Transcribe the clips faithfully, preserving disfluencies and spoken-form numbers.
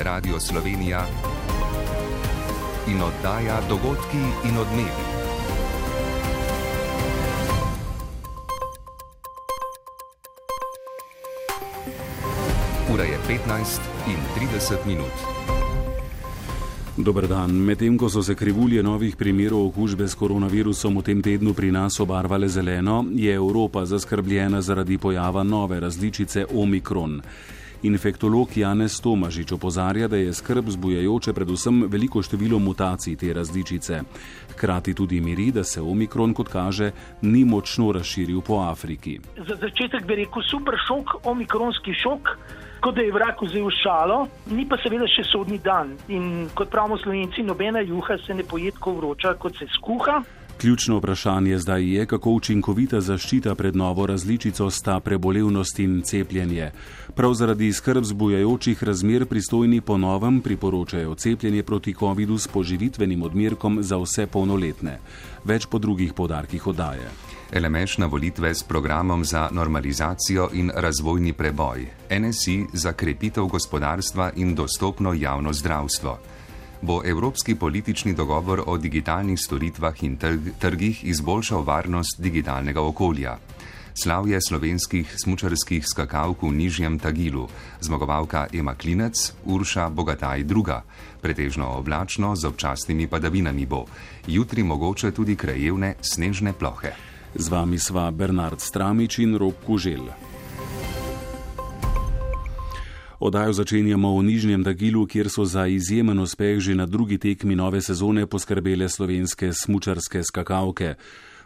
Radio Slovenija in oddaja Dogodki in odmevi. Ura je petnajst in trideset minut. Dober dan. Medtem ko so se krivulje novih primerov okužbe s koronavirusom v tem tednu pri nas obarvale zeleno, je Evropa zaskrbljena zaradi pojava nove različice Omikron. Infektolog Janez Tomažič opozarja, da je skrb zbujajoče predvsem veliko število mutacij te različice. Hkrati tudi miri, da se Omikron, kot kaže, ni močno razširil po Afriki. Za začetek bi rekel super šok, omikronski šok, kot da je vrag vzel šalo, ni pa seveda še sodni dan. In kot pravimo Slovenci, nobena juha se ne poje tako vroča, kot se skuha. Ključno vprašanje zdaj je, kako učinkovita zaščita pred novo različico sta prebolevnost in cepljenje. Prav zaradi skrb zbujajočih razmer pristojni po novem priporočajo cepljenje proti covidu s poživitvenim odmerkom za vse polnoletne. Več po drugih poudarkih oddaje. L M Š na volitve s programom za normalizacijo in razvojni preboj, N S I za krepitev gospodarstva in dostopno javno zdravstvo. Bo evropski politični dogovor o digitalnih storitvah in trgih izboljšal varnost digitalnega okolja. Slavje slovenskih smučarskih skakalk v nižjem Tagilu, zmagovalka Ema Klinec, Urša Bogataj druga. Pretežno oblačno z občasnimi padavinami bo. Jutri mogoče tudi krajevne snežne plohe. Z vami sva Bernard Stramič in Rok Kuželj. Oddajo začenjamo v nižjem Tagilu, kjer so za izjemen uspeh že na drugi tekmi nove sezone poskrbele slovenske smučarske skakalke.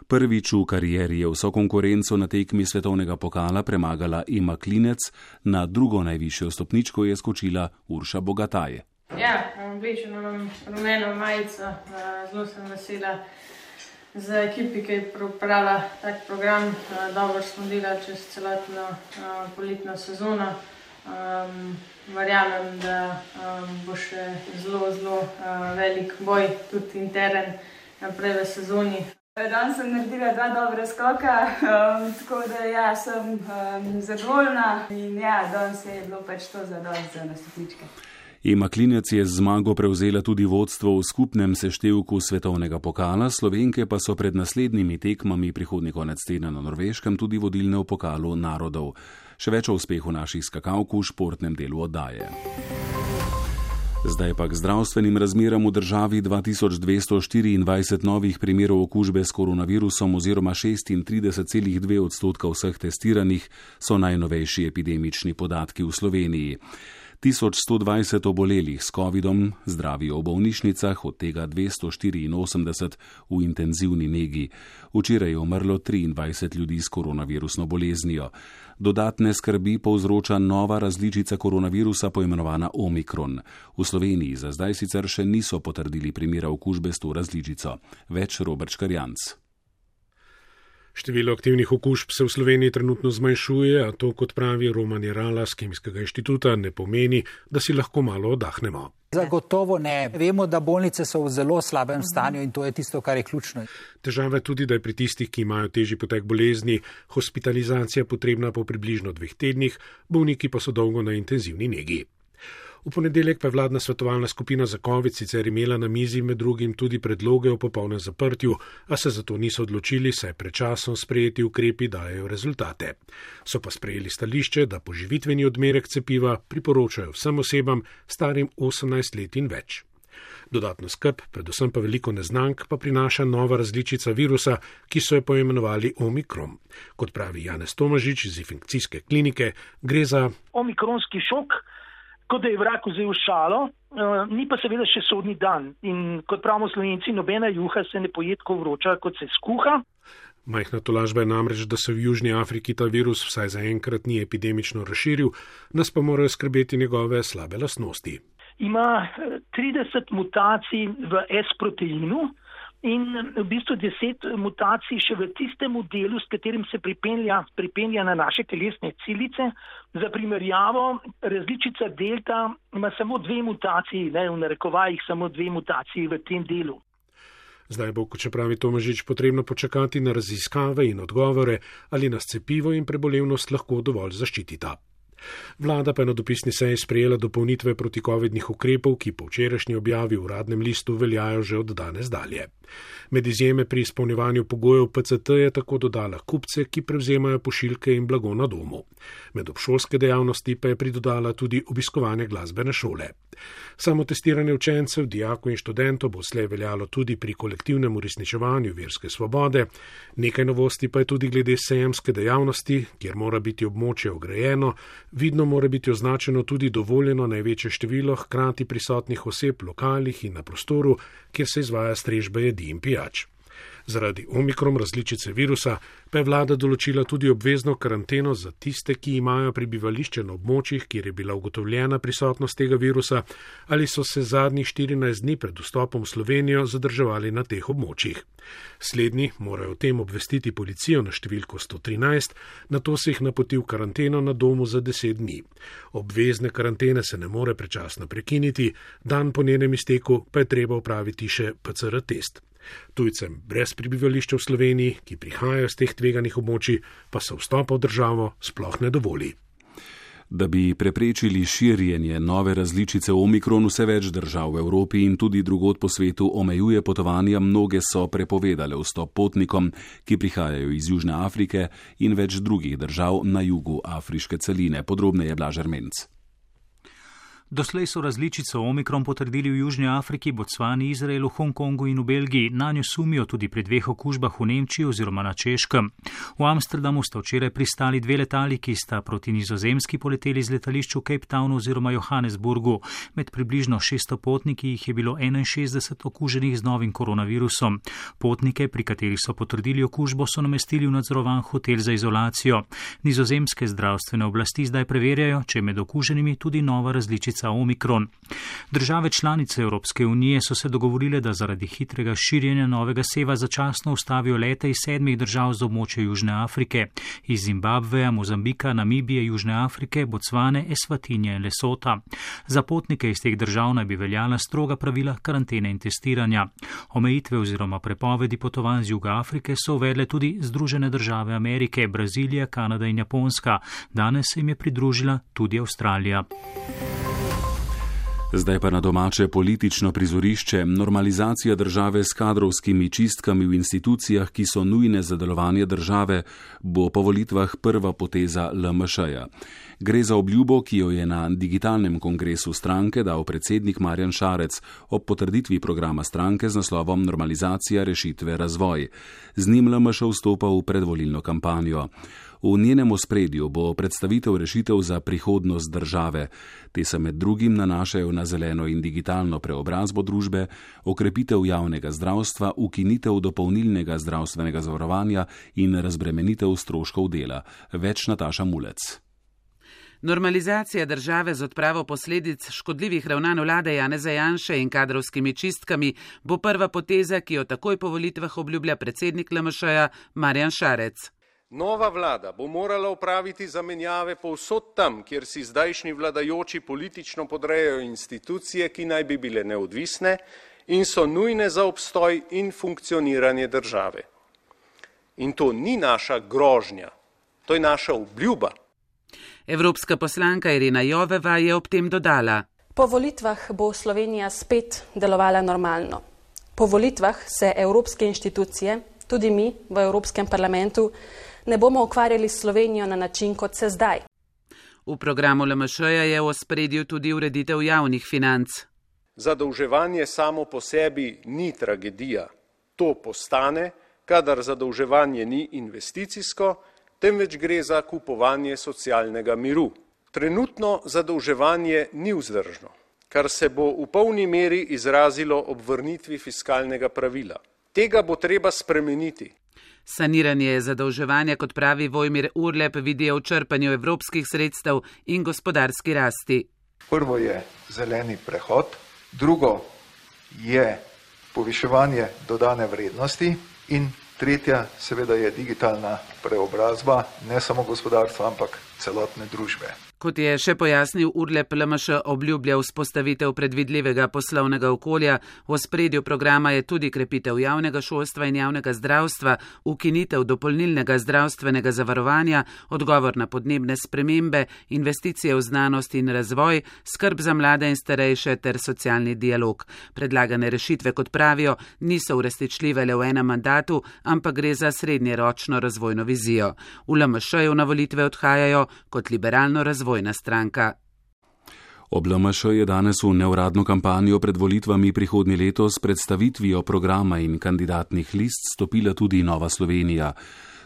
Prvič v karieri je vso konkurenco na tekmi svetovnega pokala premagala Ema Klinec, na drugo najvišjo stopničko je skočila Urša Bogataj. Ja, oblečeno imam rumeno majico, zelo sem vesela za ekipi, ki je pripravila tak program. Dobro smo delali čez celotno poletno sezono. Um, verjamem, da um, bo še zelo, zelo uh, velik boj, tudi interen, naprej v sezoni. Danes sem naredila dva dobra skoka, um, tako da ja, sem um, zadovoljna in ja, danes je bilo pač to zadost za nastopničke. Ema Klinec je z zmago prevzela tudi vodstvo v skupnem seštevku svetovnega pokala, Slovenke pa so pred naslednjimi tekmami prihodnji konec tedna na Norveškem tudi vodilne v pokalu narodov. Še več o uspehu naših skakalk v športnem delu oddaje. Zdaj pa k zdravstvenim razmeram v državi. dva tisoč dvesto štiriindvajset novih primerov okužbe s koronavirusom oziroma šestintrideset celih dve odstotka vseh testiranih so najnovejši epidemični podatki v Sloveniji. tisoč sto dvajset obolelih s covidom zdravijo v bolnišnicah, od tega dvesto štiriinosemdeset v intenzivni negi. Včeraj je umrlo triindvajset ljudi s koronavirusno boleznijo. Dodatne skrbi povzroča nova različica koronavirusa poimenovana Omikron. V Sloveniji za zdaj sicer še niso potrdili primera okužbe s to različico. Več Robert Škarjanc. Število aktivnih okužb se v Sloveniji trenutno zmanjšuje, a to, kot pravi Roman Jerala z Kemijskega inštituta, ne pomeni, da si lahko malo oddahnemo. Zagotovo ne. Vemo, da bolnice so v zelo slabem stanju in to je tisto, kar je ključno. Težava je tudi, da je pri tistih, ki imajo težji potek bolezni, hospitalizacija potrebna po približno dveh tednih, bolniki pa so dolgo na intenzivni negi. V ponedeljek pa je vladna svetovalna skupina za covid sicer imela na mizi med drugim tudi predloge o popolnem zaprtju, a se zato niso odločili, saj pred časom sprejeti ukrepi dajejo rezultate. So pa sprejeli stališče, da poživitveni odmerek cepiva priporočajo vsem osebam starim osemnajst let in več. Dodatno skrb, predvsem pa veliko neznank, pa prinaša nova različica virusa, ki so jo poimenovali Omikron. Kot pravi Janez Tomažič iz infekcijske klinike, gre za omikronski šok, kot da je vrag vzel šalo, ni pa seveda še sodni dan. In kot pravimo Slovenci, nobena juha se ne poje tako vroča, kot se skuha. Majhna tolažba je namreč, da se v Južni Afriki ta virus vsaj zaenkrat ni epidemično razširil, nas pa morajo skrbeti njegove slabe lastnosti. Ima trideset mutacij v S-proteinu in v bistvu deset mutacij še v tistemu delu, s katerim se pripenja, pripenja na naše telesne celice. Za primerjavo, različica delta ima samo dve mutaciji, ne, v narekovajih samo dve mutaciji v tem delu. Zdaj bo, kot pravi Tomažič, potrebno počakati na raziskave in odgovore, ali nas cepivo in prebolevnost lahko dovolj zaščitita. Vlada pa je na dopisni seji sprejela dopolnitve protikovidnih ukrepov, ki po včerajšnji objavi v uradnem listu veljajo že od danes dalje. Med izjeme pri izpolnjevanju pogojev P C T je tako dodala kupce, ki prevzemajo pošiljke in blago na domu. Med obšolske dejavnosti pa je pridodala tudi obiskovanje glasbene šole. Samo testiranje učencev, dijakov in študentov bo slej veljalo tudi pri kolektivnem uresničevanju verske svobode. Nekaj novosti pa je tudi glede sejemske dejavnosti, kjer mora biti območje ograjeno, vidno mora biti označeno tudi dovoljeno največje število hkrati prisotnih oseb v lokalih in na prostoru, kjer se izvaja strežba jedi in pijač. Zaradi omikron različice virusa pa je vlada določila tudi obvezno karanteno za tiste, ki imajo prebivališče na območjih, kjer je bila ugotovljena prisotnost tega virusa ali so se zadnjih štirinajst dni pred vstopom v Slovenijo zadrževali na teh območjih. Slednji morajo o tem obvestiti policijo na številko sto trinajst, nato se jih napoti v karanteno na domu za deset dni. Obvezne karantene se ne more prečasno prekiniti, dan po njenem izteku pa je treba opraviti še P C R test. Tujcem brez prebivališča v Sloveniji, ki prihajajo z teh tveganih območij, pa se vstopa v državo sploh ne dovoli. Da bi preprečili širjenje nove različice omikron, vse več držav v Evropi in tudi drugod po svetu omejuje potovanja, mnoge so prepovedale vstop potnikom, ki prihajajo iz Južne Afrike in več drugih držav na jugu afriške celine. Podrobneje Blaž Ermenc. Doslej so različico omikron potrdili v Južni Afriki, Bocvani, Izraelu, Hongkongu in v Belgiji. Nanjo sumijo tudi pri dveh okužbah v Nemčiji oziroma na Češkem. V Amsterdamu sta včeraj pristali dve letali, ki sta proti Nizozemski poleteli z letališča v Cape Townu oziroma Johannesburgu. Med približno šeststo potniki jih je bilo enainšestdeset okuženih z novim koronavirusom. Potnike, pri katerih so potrdili okužbo, so namestili v nadzorovan hotel za izolacijo. Nizozemske zdravstvene oblasti zdaj preverjajo, če je med okuženimi tudi nova različica omikron. Države članice Evropske unije so se dogovorile, da zaradi hitrega širjenja novega seva začasno ustavijo lete iz sedmih držav z območja Južne Afrike, iz Zimbabveja, Mozambika, Namibije, Južne Afrike, Bocvane, Eswatinije in Lesota. Za potnike iz teh držav naj bi veljala stroga pravila karantene in testiranja. Omejitve oziroma prepovedi potovanj z Juga Afrike so uvedle tudi Združene države Amerike, Brazilija, Kanada in Japonska. Danes se jim je pridružila tudi Avstralija. Zdaj pa na domače politično prizorišče. Normalizacija države s kadrovskimi čistkami v institucijah, ki so nujne za delovanje države, bo po volitvah prva poteza L M Š-ja. Gre za obljubo, ki jo je na digitalnem kongresu stranke dal predsednik Marjan Šarec ob potrditvi programa stranke z naslovom Normalizacija, rešitve, razvoj. Z njim L M Š vstopa v predvolilno kampanjo. V njenem ospredju bo predstavitev rešitev za prihodnost države. Te se med drugim nanašajo na zeleno in digitalno preobrazbo družbe, okrepitev javnega zdravstva, ukinitev dopolnilnega zdravstvenega zavarovanja in razbremenitev stroškov dela. Več Nataša Mulec. Normalizacija države z odpravo posledic škodljivih ravnanj vlade Janeza Janše in kadrovskimi čistkami bo prva poteza, ki jo takoj po volitvah obljublja predsednik L M Š-ja Marjan Šarec. Nova vlada bo morala opraviti zamenjave povsod tam, kjer si zdajšnji vladajoči politično podrejajo institucije, ki naj bi bile neodvisne in so nujne za obstoj in funkcioniranje države. In to ni naša grožnja, to je naša obljuba. Evropska poslanka Irena Joveva je ob tem dodala: Po volitvah bo Slovenija spet delovala normalno. Po volitvah se evropske inštitucije, tudi mi v Evropskem parlamentu, ne bomo ukvarjali s Slovenijo na način, kot se zdaj. V programu L M Š-ja je v ospredju tudi ureditev javnih financ. Zadolževanje samo po sebi ni tragedija. To postane, kadar zadolževanje ni investicijsko, temveč gre za kupovanje socialnega miru. Trenutno zadolževanje ni vzdržno, kar se bo v polni meri izrazilo ob vrnitvi fiskalnega pravila. Tega bo treba spremeniti. Saniranje zadolževanja, kot pravi Vojmir Urlep, vidijo v črpanju evropskih sredstev in gospodarski rasti. Prvo je zeleni prehod, drugo je poviševanje dodane vrednosti in tretja seveda je digitalna preobrazba ne samo gospodarstva, ampak celotne družbe. Kot je še pojasnil Urlep, L M Š obljublja vzpostavitev predvidljivega poslovnega okolja, v ospredju programa je tudi krepitev javnega šolstva in javnega zdravstva, ukinitev dopolnilnega zdravstvenega zavarovanja, odgovor na podnebne spremembe, investicije v znanost in razvoj, skrb za mlade in starejše ter socialni dialog. Predlagane rešitve, kot pravijo, niso uresničljive le v enem mandatu, ampak gre za srednjeročno razvojno vizijo. V L M Š-ju na volitve odhajajo kot liberalno razvojno stranka. Ob L M Š je danes v neuradno kampanjo pred volitvami prihodnje leto s predstavitvijo programa in kandidatnih list stopila tudi Nova Slovenija.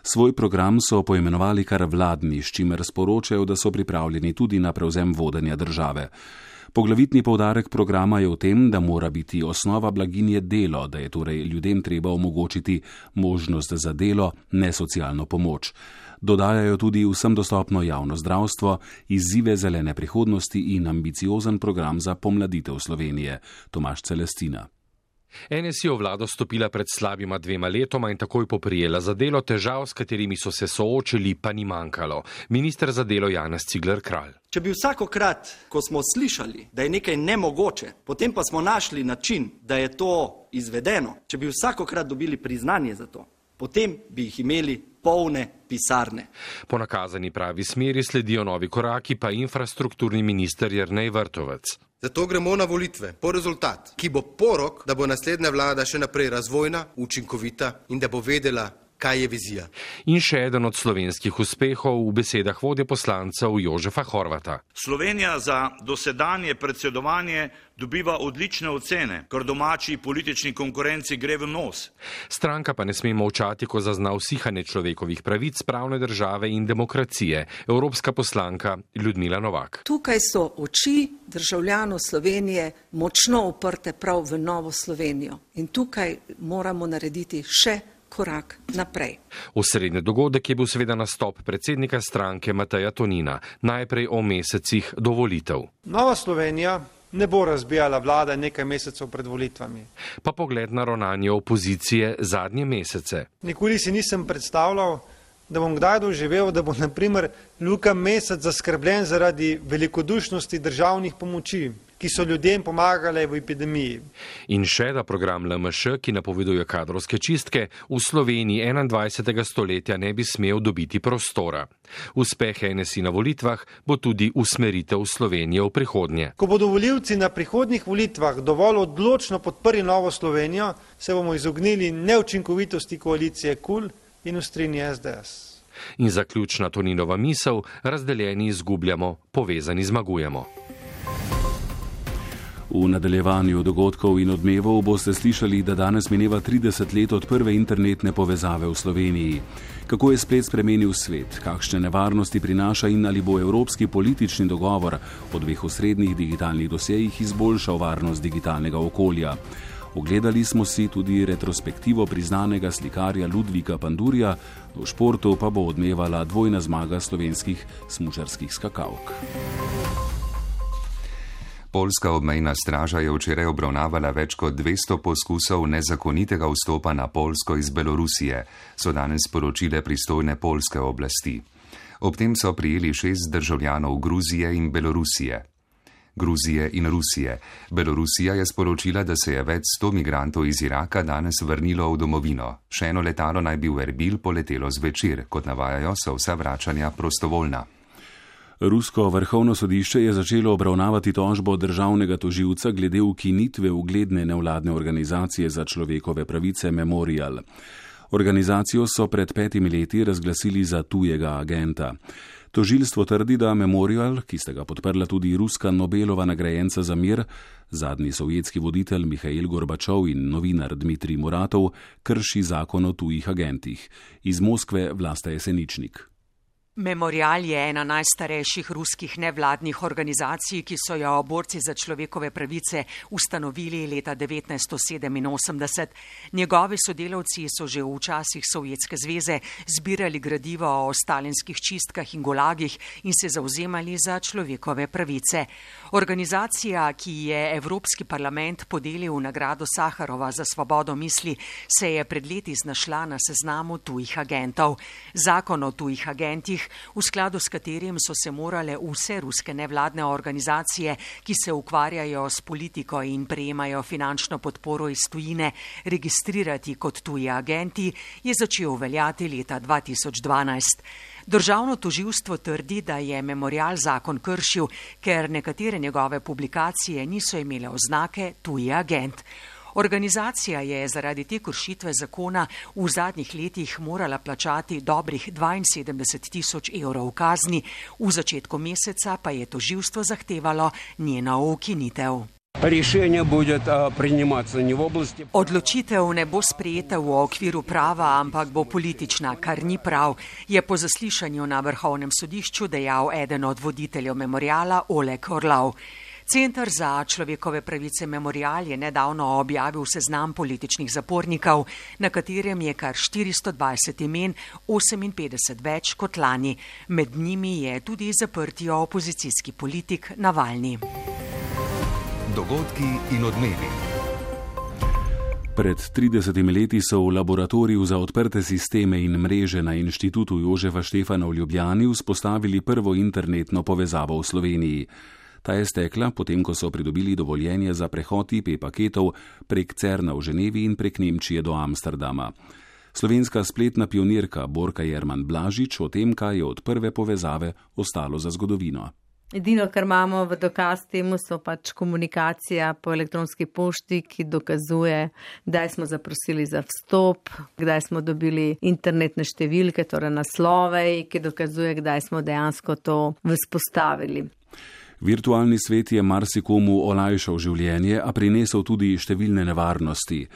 Svoj program so poimenovali kar vladni, s čimer sporočajo, da so pripravljeni tudi na prevzem vodenja države. Poglavitni poudarek programa je v tem, da mora biti osnova blaginje delo, da je torej ljudem treba omogočiti možnost za delo, ne socialno pomoč. Dodajajo tudi vsem dostopno javno zdravstvo, izzive zelene prihodnosti in ambiciozen program za pomladitev Slovenije. Tomaž Celestina. N S I je v vlado stopila pred slabima dvema letoma in takoj poprijela za delo, težav, s katerimi so se soočili, pa ni manjkalo. Minister za delo Janez Cigler Kralj. Če bi vsakokrat, ko smo slišali, da je nekaj nemogoče, potem pa smo našli način, da je to izvedeno, če bi vsakokrat dobili priznanje za to, potem bi jih imeli polne pisarne. Po nakazani pravi smeri sledijo novi koraki, pa infrastrukturni minister Jernej Vrtovec. Zato gremo na volitve po rezultat, ki bo porok, da bo naslednja vlada še naprej razvojna, učinkovita in da bo vedela, kaj je vizija. In še eden od slovenskih uspehov v besedah vodje poslancev Jožefa Horvata. Slovenija za dosedanje predsedovanje dobiva odlične ocene, kar domači politični konkurenci gre v nos. Stranka pa ne sme molčati, ko zazna usihanje človekovih pravic, pravne države in demokracije. Evropska poslanka Ljudmila Novak. Tukaj so oči državljanov Slovenije močno uprte prav v Novo Slovenijo in tukaj moramo narediti še korak naprej. Osrednji dogodek je bil seveda nastop predsednika stranke Mateja Tonina, najprej o mesecih do volitev. Nova Slovenija ne bo razbijala vlade nekaj mesecev pred volitvami. Pa pogled na ravnanje opozicije zadnje mesece. Nikoli si nisem predstavljal, da bom kdaj doživel, da bo na primer Luka Mesec zaskrbljen zaradi velikodušnosti državnih pomoči, ki so ljudem pomagale v epidemiji. In še da program L M Š, ki napoveduje kadrovske čistke, v Sloveniji enaindvajsetega stoletja ne bi smel dobiti prostora. Uspeh N S I na volitvah bo tudi usmeritev Slovenije v prihodnje. Ko bodo volivci na prihodnjih volitvah dovolj odločno podprli Novo Slovenijo, se bomo izognili neučinkovitosti koalicije KUL in ustrini S D S. In zaključna Toninova misel, razdeljeni izgubljamo, povezani zmagujemo. V nadaljevanju dogodkov in odmevov boste slišali, da danes mineva trideset let od prve internetne povezave v Sloveniji. Kako je splet spremenil svet, kakšne nevarnosti prinaša in ali bo evropski politični dogovor o dveh osrednjih digitalnih dosjejih izboljšal varnost digitalnega okolja. Ogledali smo si tudi retrospektivo priznanega slikarja Ludvika Pandurja, v športu pa bo odmevala dvojna zmaga slovenskih smučarskih skakalk. Poljska obmejna straža je včeraj obravnavala več kot dvesto poskusov nezakonitega vstopa na Poljsko iz Belorusije, so danes sporočile pristojne poljske oblasti. Ob tem so prijeli šest državljanov Gruzije in Belorusije. Gruzije in Rusije. Belorusija je sporočila, da se je več sto migrantov iz Iraka danes vrnilo v domovino. Še eno letalo naj bi v Erbil poletelo zvečer, kot navajajo, so vsa vračanja prostovoljna. Rusko vrhovno sodišče je začelo obravnavati tožbo državnega tožilca glede ukinitve ugledne nevladne organizacije za človekove pravice Memorial. Organizacijo so pred petimi leti razglasili za tujega agenta. Tožilstvo trdi, da Memorial, ki sta ga podprla tudi ruska Nobelova nagrajenca za mir, zadnji sovjetski voditelj Mihail Gorbačov in novinar Dmitrij Muratov, krši zakon o tujih agentih. Iz Moskve Vlasta Jeseničnik. Memorial je ena najstarejših ruskih nevladnih organizacij, ki so jo borci za človekove pravice ustanovili leta devetnajststo sedeminosemdeset. Njegovi sodelavci so že v časih Sovjetske zveze zbirali gradivo o stalinskih čistkah in gulagih in se zauzemali za človekove pravice. Organizacija, ki je Evropski parlament podelil nagrado Saharova za svobodo misli, se je pred leti znašla na seznamu tujih agentov. Zakon o tujih agentih letih, v skladu s katerim so se morale vse ruske nevladne organizacije, ki se ukvarjajo s politiko in prejemajo finančno podporo iz tujine, registrirati kot tuji agenti, je začel veljati leta dva tisoč dvanajst. Državno tožilstvo trdi, da je Memorial zakon kršil, ker nekatere njegove publikacije niso imele oznake tuji agent. Organizacija je zaradi te kršitve zakona v zadnjih letih morala plačati dobrih dvainsedemdeset tisoč evrov kazni, v začetku meseca pa je tožilstvo zahtevalo njeno ukinitev. Odločitev ne bo sprejeta v okviru prava, ampak bo politična, kar ni prav, je po zaslišanju na Vrhovnem sodišču dejal eden od voditeljev Memoriala Oleg Orlov. Center za človekove pravice Memorial je nedavno objavil seznam političnih zapornikov, na katerem je kar štiristo dvajset imen, oseminpetdeset več kot lani. Med njimi je tudi zaprti opozicijski politik Navalni. Dogodki in odmevi. Pred tridesetimi leti so v laboratoriju za odprte sisteme in mreže na Inštitutu Jožefa Štefana v Ljubljani vzpostavili prvo internetno povezavo v Sloveniji. Ta je stekla, potem ko so pridobili dovoljenje za prehod I P paketov prek Cerna v Ženevi in prek Nemčije do Amsterdama. Slovenska spletna pionirka Borka Jerman Blažič o tem, kaj je od prve povezave ostalo za zgodovino. Edino, kar imamo v dokaz temu, so pač komunikacija po elektronski pošti, ki dokazuje, kdaj smo zaprosili za vstop, kdaj smo dobili internetne številke, torej naslove, ki dokazuje, kdaj smo dejansko to vzpostavili. Virtualni svet je marsikomu olajšal življenje, a prinesel tudi številne nevarnosti.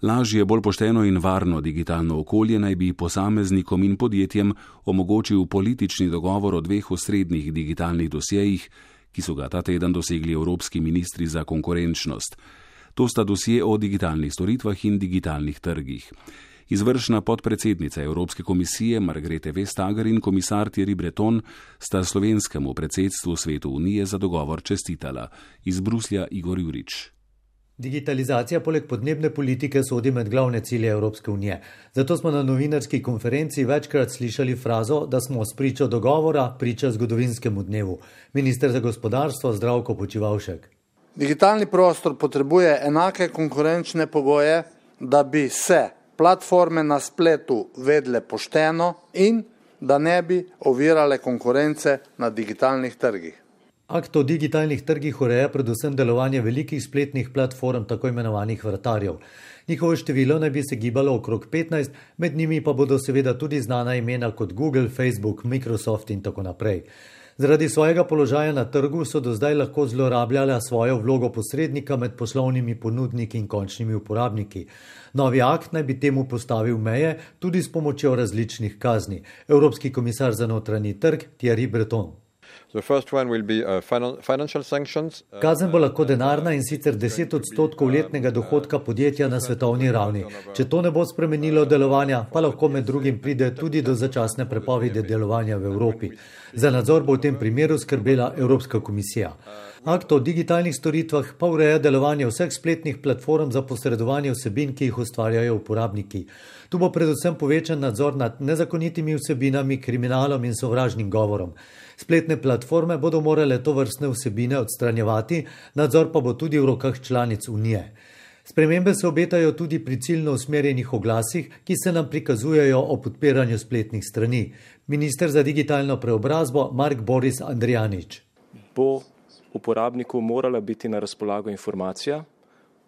Lažje, bolj pošteno in varno digitalno okolje naj bi posameznikom in podjetjem omogočil politični dogovor o dveh osrednjih digitalnih dosjejih, ki so ga ta teden dosegli evropski ministri za konkurenčnost. To sta dosje o digitalnih storitvah in digitalnih trgih. Izvršna podpredsednica Evropske komisije Margrethe Vestager in komisar Thierry Breton sta slovenskemu predsedstvu Svetu Unije za dogovor čestitala. Iz Bruslja Igor Jurič. Digitalizacija poleg podnebne politike sodi med glavne cilje Evropske unije. Zato smo na novinarski konferenci večkrat slišali frazo, da smo spričo dogovora priča zgodovinskemu dnevu. Minister za gospodarstvo Zdravko Počivalšek. Digitalni prostor potrebuje enake konkurenčne pogoje, da bi se platforme na spletu vedle pošteno in da ne bi ovirale konkurence na digitalnih trgih. Akt o digitalnih trgih ureja predvsem delovanje velikih spletnih platform, tako imenovanih vratarjev. Njihovo število naj bi se gibalo okrog petnajst, med njimi pa bodo seveda tudi znana imena kot Google, Facebook, Microsoft in tako naprej. Zaradi svojega položaja na trgu so do zdaj lahko zlorabljala svojo vlogo posrednika med poslovnimi ponudniki in končnimi uporabniki. Novi akt naj bi temu postavil meje tudi s pomočjo različnih kazni. Evropski komisar za notranji trg Thierry Breton. Kazen bo lahko denarna in sicer deset odstotkov letnega dohodka podjetja na svetovni ravni. Če to ne bo spremenilo delovanja, pa lahko med drugim pride tudi do začasne prepovedi delovanja v Evropi. Za nadzor bo v tem primeru skrbela Evropska komisija. Akt o digitalnih storitvah pa ureja delovanje vseh spletnih platform za posredovanje vsebin, ki jih ustvarjajo uporabniki. Tu bo predvsem povečan nadzor nad nezakonitimi vsebinami, kriminalom in sovražnim govorom. Spletne platforme bodo morale to vrstne vsebine odstranjevati, nadzor pa bo tudi v rokah članic Unije. Spremembe se obetajo tudi pri ciljno usmerjenih oglasih, ki se nam prikazujejo o podpiranju spletnih strani. Minister za digitalno preobrazbo Mark Boris Andrijanič. Bo uporabniku morala biti na razpolago informacija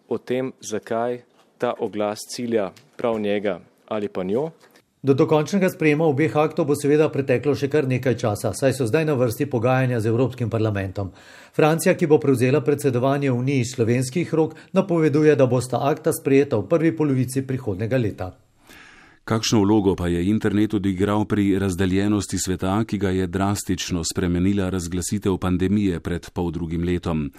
o tem, zakaj ta oglas cilja prav njega ali pa njo. Do dokončnega sprejema obeh aktov bo seveda preteklo še kar nekaj časa, saj so zdaj na vrsti pogajanja z Evropskim parlamentom. Francija, ki bo prevzela predsedovanje Uniji iz slovenskih rok, napoveduje, da bosta akta sprejeta v prvi polovici prihodnega leta. Kakšno vlogo pa je internet odigral pri razdeljenosti sveta, ki ga je drastično spremenila razglasitev pandemije pred poldrugim letom?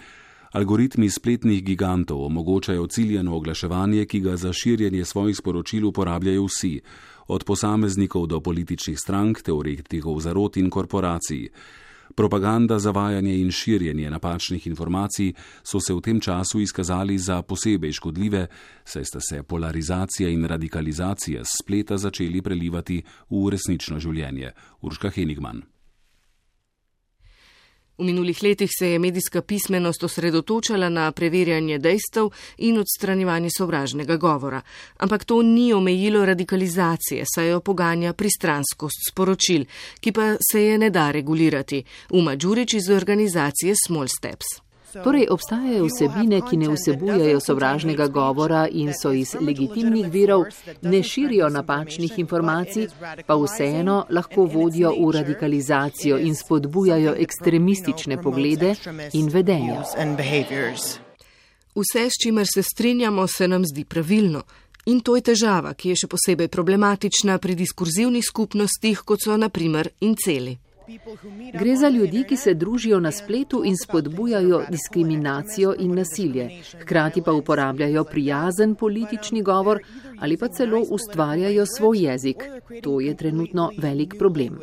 Algoritmi spletnih gigantov omogočajo ciljeno oglaševanje, ki ga za širjenje svojih sporočil uporabljajo vsi, od posameznikov do političnih strank, teoretikov zarot in korporacij. Propaganda, zavajanje in širjenje napačnih informacij so se v tem času izkazali za posebej škodljive, saj sta se polarizacija in radikalizacija s spleta začeli prelivati v resnično življenje. Urška Henigman. V minulih letih se je medijska pismenost osredotočala na preverjanje dejstev in odstranjevanje sovražnega govora. Ampak to ni omejilo radikalizacije, saj jo poganja pristranskost sporočil, ki pa se je ne da regulirati. Uma Đurić iz organizacije Small Steps. Torej, obstajajo vsebine, ki ne vsebujejo sovražnega govora in so iz legitimnih virov, ne širijo napačnih informacij, pa vseeno lahko vodijo v radikalizacijo in spodbujajo ekstremistične poglede in vedenja. Vse, s čimer se strinjamo, se nam zdi pravilno. In to je težava, ki je še posebej problematična pri diskurzivnih skupnostih, kot so na primer inceli. Gre za ljudi, ki se družijo na spletu in spodbujajo diskriminacijo in nasilje, hkrati pa uporabljajo prijazen politični govor ali pa celo ustvarjajo svoj jezik. To je trenutno velik problem.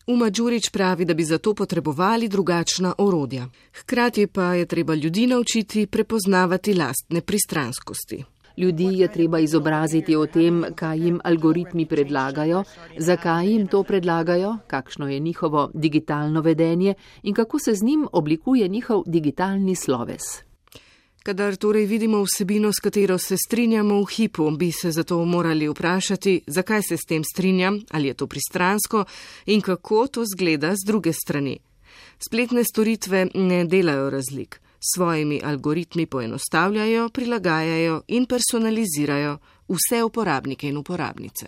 Uma Đurić pravi, da bi zato potrebovali drugačna orodja. Hkrati pa je treba ljudi naučiti prepoznavati lastne pristranskosti. Ljudi je treba izobraziti o tem, kaj jim algoritmi predlagajo, zakaj jim to predlagajo, kakšno je njihovo digitalno vedenje in kako se z njim oblikuje njihov digitalni sloves. Kadar torej vidimo vsebino, s katero se strinjamo v hipu, bi se zato morali vprašati, zakaj se s tem strinjam, ali je to pristransko in kako to zgleda z druge strani. Spletne storitve ne delajo razlik. Svojimi algoritmi poenostavljajo, prilagajajo in personalizirajo vse uporabnike in uporabnice.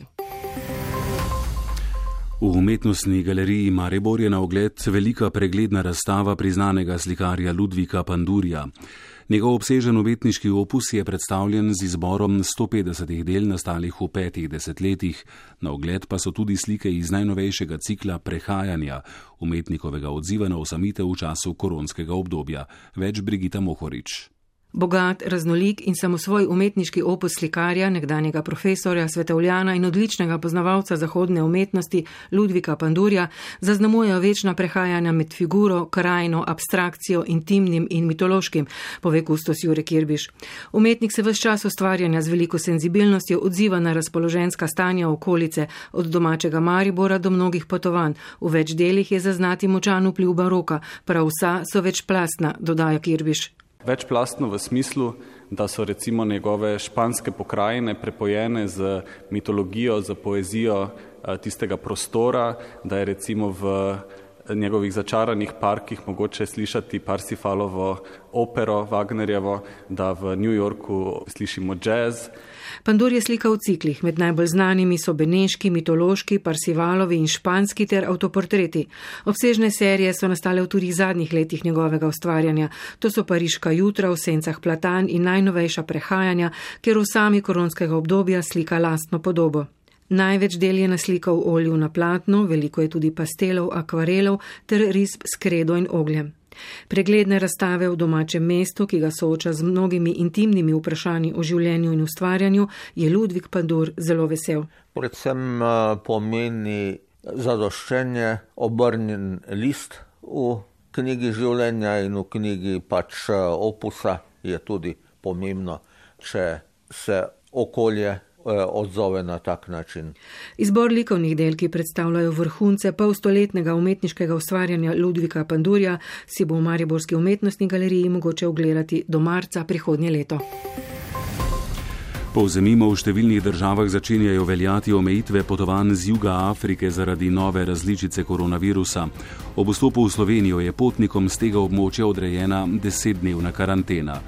V umetnostni galeriji Maribor je na ogled velika pregledna razstava priznanega slikarja Ludvika Pandurja. Njegov obsežen umetniški opus je predstavljen z izborom sto petdesetih del nastalih v petih desetletjih, na ogled pa so tudi slike iz najnovejšega cikla Prehajanja, umetnikovega odziva na osamitev v času koronskega obdobja. Več Brigita Mohorič. Bogat, raznolik in samosvoj umetniški opus slikarja, nekdanjega profesorja, svetovljana in odličnega poznavalca zahodne umetnosti Ludvika Pandurja zaznamujejo večna prehajanja med figuro, krajino, abstrakcijo, intimnim in mitološkim, pove kustos Jure Kirbiš. Umetnik se ves čas ustvarjanja z veliko senzibilnostjo odziva na razpoloženjska stanja okolice, od domačega Maribora do mnogih potovanj. V več delih je zaznati močan vpliv baroka, prav vsa so večplastna, dodaja Kirbiš. Večplastno v smislu, da so recimo njegove španske pokrajine prepojene z mitologijo, z poezijo tistega prostora, da je recimo v njegovih začaranih parkih mogoče slišati Parsifalovo opero Wagnerjevo, da v New Yorku slišimo jazz. Pandur je slika v ciklih, med najbolj znanimi so beneški, mitološki, Parsifalovi in španski ter avtoportreti. Obsežne serije so nastale v tudi zadnjih letih njegovega ustvarjanja. To so Pariška jutra, v sencah platan in najnovejša prehajanja, kjer v sami koronskega obdobja slika lastno podobo. Največ del je naslikal v olju na platnu, veliko je tudi pastelov, akvarelov ter risb s kredo in ogljem. Pregledne razstave v domačem mestu, ki ga sooča z mnogimi intimnimi vprašanji o življenju in ustvarjanju, je Ludvik Pandur zelo vesel. Predvsem pomeni zadoščenje, obrnjen list v knjigi življenja in v knjigi pač opusa je tudi pomembno, če se okolje odzove na tak način. Izbor likovnih del, ki predstavljajo vrhunce polstoletnega umetniškega ustvarjanja Ludvika Pandurja, si bo v Mariborski umetnostni galeriji mogoče ogledati do marca prihodnje leto. Povzemimo, v številnih državah začenjajo veljati omejitve potovanj z juga Afrike zaradi nove različice koronavirusa. Ob vstopu v Slovenijo je potnikom z tega območja odrejena desetdnevna karantena.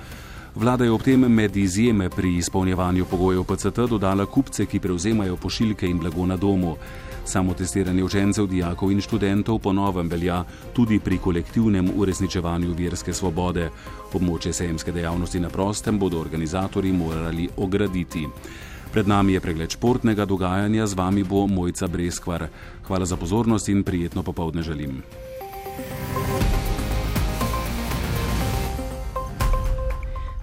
Vlada je ob tem med izjeme pri izpolnjevanju pogojev P C T dodala kupce, ki prevzemajo pošiljke in blago na domu. Samotestiranje učencev, dijakov in študentov po novem velja tudi pri kolektivnem uresničevanju verske svobode. Območje sejemske dejavnosti na prostem bodo organizatorji morali ograditi. Pred nami je pregled športnega dogajanja, z vami bo Mojca Breskvar. Hvala za pozornost in prijetno popoldne želim.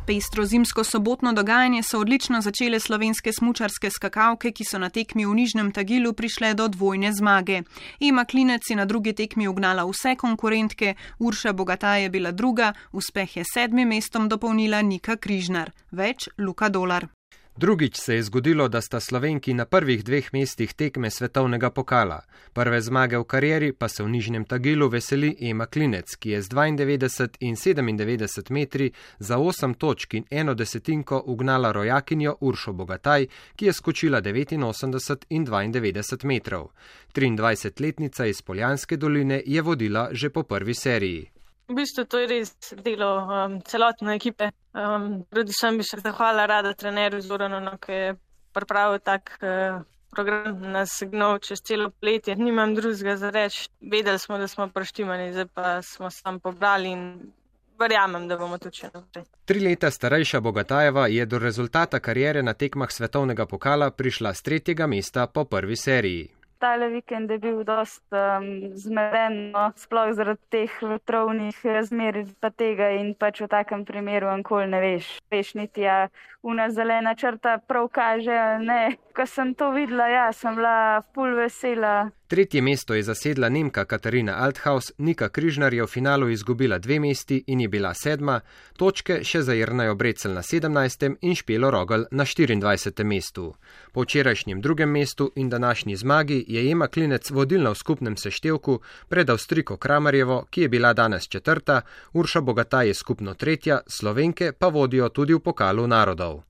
Pestro zimsko sobotno dogajanje so odlično začele slovenske smučarske skakalke, ki so na tekmi v Nižnem Tagilu prišle do dvojne zmage. Ema Klinec je na drugi tekmi ugnala vse konkurentke, Urša Bogataj je bila druga, uspeh je sedmim mestom dopolnila Nika Križnar. Več Luka Dolar. Drugič se je zgodilo, da sta Slovenki na prvih dveh mestih tekme svetovnega pokala. Prve zmage v karieri pa se v Nižnem Tagilu veseli Ema Klinec, ki je z dvaindevetdeset in sedemindevetdeset metri za osem točk in eno desetinko ugnala rojakinjo Uršo Bogataj, ki je skočila devetinosemdeset in dvaindevetdeset metrov. triindvajsetletnica iz Poljanske doline je vodila že po prvi seriji. V bistvu to je res delo um, celotne ekipe. Um, predvsem bi se zahvala rada trenerju Zoranu, ki je pripravil tak uh, program, nas gnal čez celo poletje. Nimam drugega za reči. Vedeli smo, da smo preštimani, zdaj pa smo sam pobrali in verjamem, da bomo tudi še naprej. Tri leta starejša Bogatajeva je do rezultata kariere na tekmah svetovnega pokala prišla s tretjega mesta po prvi seriji. Tale vikend je bil dost um, zmeden, no, sploh zaradi teh vetrovnih razmer pa tega in pač v takem primeru ankoli ne veš. Veš niti ja, una zelena črta prav kaže, ne. Ko sem to videla, ja, sem bila ful vesela. Tretje mesto je zasedla Nemka Katarina Althaus, Nika Križnar je v finalu izgubila dve mesti in je bila sedma, točke še za Jernejo Brecelj na sedemnajstem in Špelo Rogel na štiriindvajsetem mestu. Po včerajšnjem drugem mestu in današnji zmagi je Ema Klinec vodilna v skupnem seštevku pred Avstrijko Kramarjevo, ki je bila danes četrta, Urša Bogataj je skupno tretja, Slovenke pa vodijo tudi v pokalu narodov.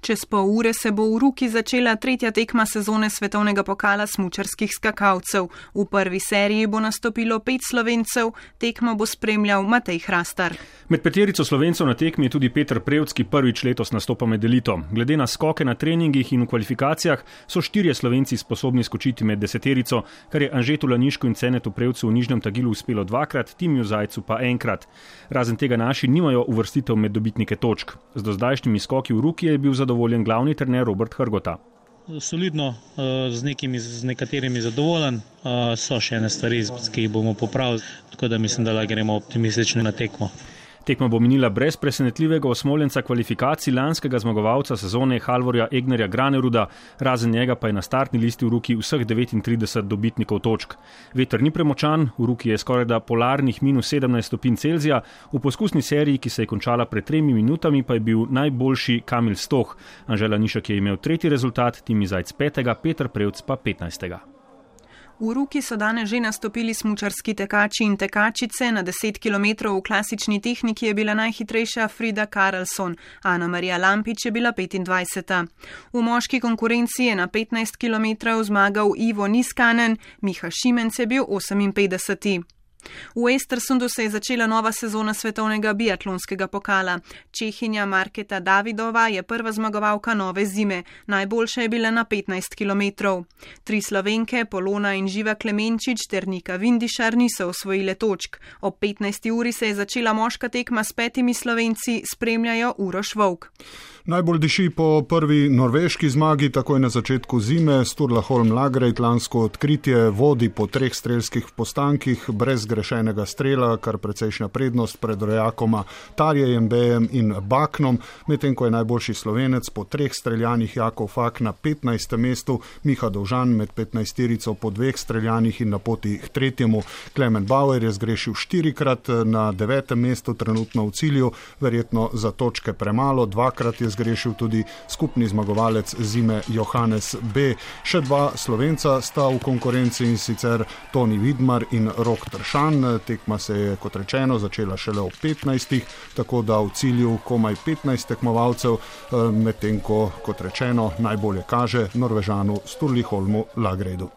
Čez pol ure se bo v Ruki začela tretja tekma sezone svetovnega pokala smučarskih skakalcev. V prvi seriji bo nastopilo pet Slovencev, tekmo bo spremljal Matej Hrastar. Med peterico Slovencev na tekmi je tudi Peter Prevc, ki prvič letos nastopa med elito. Glede na skoke na treningih in v kvalifikacijah so štirje Slovenci sposobni skočiti med deseterico, kar je Anžetu Lanišku in Cenetu Prevcu v Nižnem Tagilu uspelo dvakrat, Timiju Zajcu pa enkrat. Razen tega naši nimajo uvrstitev med dobitnike točk. Z dozdajšnjimi skoki v Ruki je bil zadovoljen glavni trener Robert Hrgota. Solidno, z, nekimi, z nekaterimi zadovoljen, so še ene stvari, ki jih bomo popravili, tako da mislim, da gremo optimistično na tekmo. Tekma bo minila brez presenetljivega osmoljenca kvalifikacij lanskega zmagovalca sezone Halvorja Egnerja Graneruda, razen njega pa je na startni listi v Ruki vseh devetintrideset dobitnikov točk. Veter ni premočan, v Ruki je skorajda polarnih minus sedemnajst stopinj Celzija, v poskusni seriji, ki se je končala pred tremi minutami, pa je bil najboljši Kamil Stoh. Anže Lanišek je imel tretji rezultat, Timi Zajc petega, Peter Prevc pa petnajstega. V Ruki so danes že nastopili smučarski tekači in tekačice. Na deset kilometrov v klasični tehniki je bila najhitrejša Frida Karlsson, Ana Marija Lampič je bila petindvajseta. V moški konkurenci je na petnajst kilometrov zmagal Ivo Niskanen, Miha Šimenc je bil oseminpetdeseti. V Estersundu se je začela nova sezona svetovnega biatlonskega pokala. Čehinja Marketa Davidova je prva zmagovalka nove zime. Najboljša je bila na petnajst kilometrov. Tri Slovenke, Polona in Živa Klemenčič ter Nika Vindišar niso osvojile točk. Ob petnajsti uri se je začela moška tekma s petimi Slovenci, spremljajo Uroš Vovk. Najbolj diši po prvi norveški zmagi, takoj na začetku zime. Sturla Holm Lagreit lansko odkritje vodi po treh strelskih postankih, brez grešenega strela, kar precejšnja prednost pred rojakoma Tarjejem, Bejem in Baknom, medtem ko je najboljši Slovenec po treh streljanih Jakov Fak na petnajstem mestu, Miha Dovžan med petnajsterico po dveh streljanih in na poti k tretjemu. Klemen Bauer je zgrešil štirikrat, na devetem mestu trenutno v cilju, verjetno za točke premalo, dvakrat je zgrešil tudi skupni zmagovalec zime Johannes B. Še dva Slovenca sta v konkurenci, in sicer Toni Vidmar in Rok Tršan. Tekma se je, kot rečeno, začela šele ob petnajstih, tako da v cilju komaj petnajst tekmovalcev, medtem ko, kot rečeno, najbolje kaže Norvežanu Sturli Holmu Lagreidu.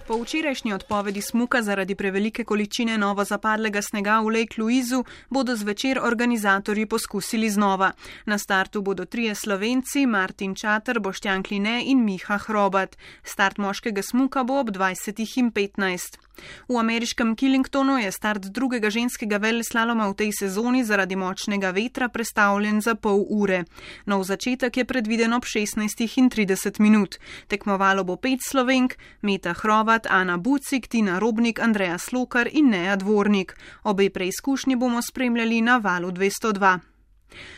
Po včerajšnji odpovedi smuka zaradi prevelike količine novo zapadlega snega v Lake Louisu bodo zvečer organizatorji poskusili znova. Na startu bodo trije Slovenci, Martin Čater, Boštjan Kline in Miha Hrobat. Start moškega smuka bo ob dvajsetih in petnajst. V ameriškem Killingtonu je start drugega ženskega veleslaloma v tej sezoni zaradi močnega vetra prestavljen za pol ure. Nov začetek je predviden ob šestnajstih in trideset minut. Tekmovalo bo pet Slovenk, Meta Hrovat, Ana Bucik, Tina Robnik, Andreja Slokar in Neja Dvornik. Obe preizkušnji bomo spremljali na valu dvesto dva.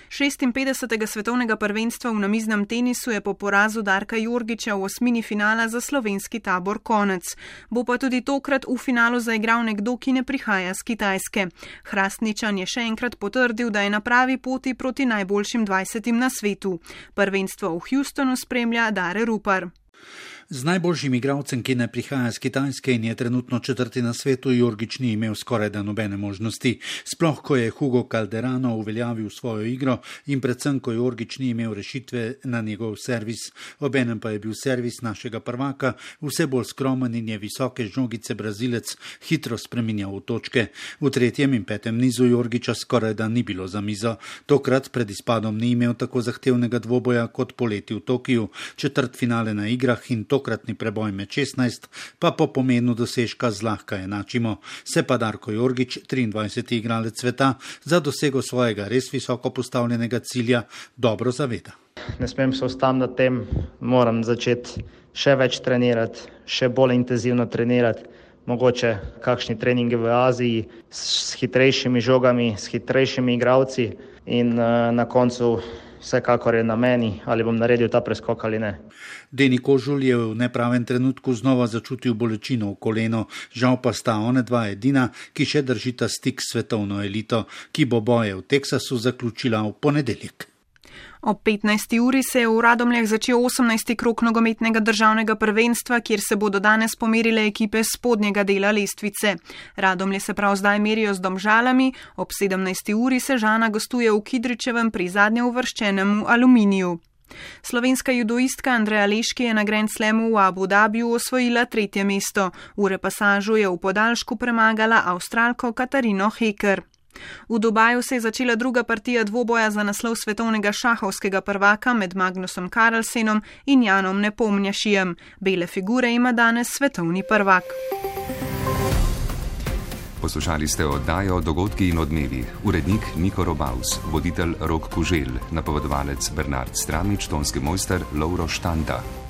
šestinpetdesetega svetovnega prvenstva v namiznem tenisu je po porazu Darka Jorgića v osmini finala za slovenski tabor konec. Bo pa tudi tokrat v finalu zaigral nekdo, ki ne prihaja z Kitajske. Hrastničan je še enkrat potrdil, da je na pravi poti proti najboljšim dvajsetim na svetu. Prvenstvo v Houstonu spremlja Dare Rupar. Z najboljšim igralcem, ki ne prihaja z Kitajske in je trenutno četrti na svetu, Jorgić ni imel skoraj da nobene možnosti. Sploh, ko je Hugo Calderano uveljavil svojo igro in predvsem, ko Jorgić ni imel rešitve na njegov servis. Obenem pa je bil servis našega prvaka vse bolj skromen in je visoke žogice Brazilec hitro spreminjal v točke. V tretjem in petem nizu Jorgića skoraj da ni bilo za mizo. Tokrat pred izpadom ni imel tako zahtevnega dvoboja kot poleti v Tokiju. Četrt finale na igrah in tokratni preboj med šestnajst pa po pomenu dosežka zlahka enačimo. Se pa Darko Jorgić, triindvajseti igralec sveta, za dosego svojega res visoko postavljenega cilja dobro zaveda. Ne smem se ustaviti na tem, moram začeti še več trenirati, še bolj intenzivno trenirati, mogoče kakšni treningi v Aziji s hitrejšimi žogami, s hitrejšimi igralci in uh, na koncu vsekakor je na meni, ali bom naredil ta preskok ali ne. Deni Kožul je v nepravem trenutku znova začutil bolečino v koleno, žal pa sta one dva edina, ki še držita stik s svetovno elito, ki bo boje v Teksasu zaključila v ponedeljek. Ob petnajsti uri se je v Radomljah začel osemnajsti krog nogometnega državnega prvenstva, kjer se bodo danes pomerile ekipe spodnjega dela lestvice. Radomlje se prav zdaj merijo z Domžalami, ob sedemnajsti uri se Žana gostuje v Kidričevem pri zadnje uvrščenemu Aluminiju. Slovenska judoistka Andreja Leški je na Grand Slamu v Abu Dhabiju osvojila tretje mesto. V repasažu je v podaljšku premagala Avstralko Katarino Heker. V Dubaju se je začela druga partija dvoboja za naslov svetovnega šahovskega prvaka med Magnusom Carlsenom in Janom Nepomnjašijem. Bele figure ima danes svetovni prvak. Poslušali ste oddajo Dogodki in odmevi. Urednik Niko Robaus, voditelj Rok Kuželj, napovedovalec Bernard Stramič, tonski mojster Lovro Štanta.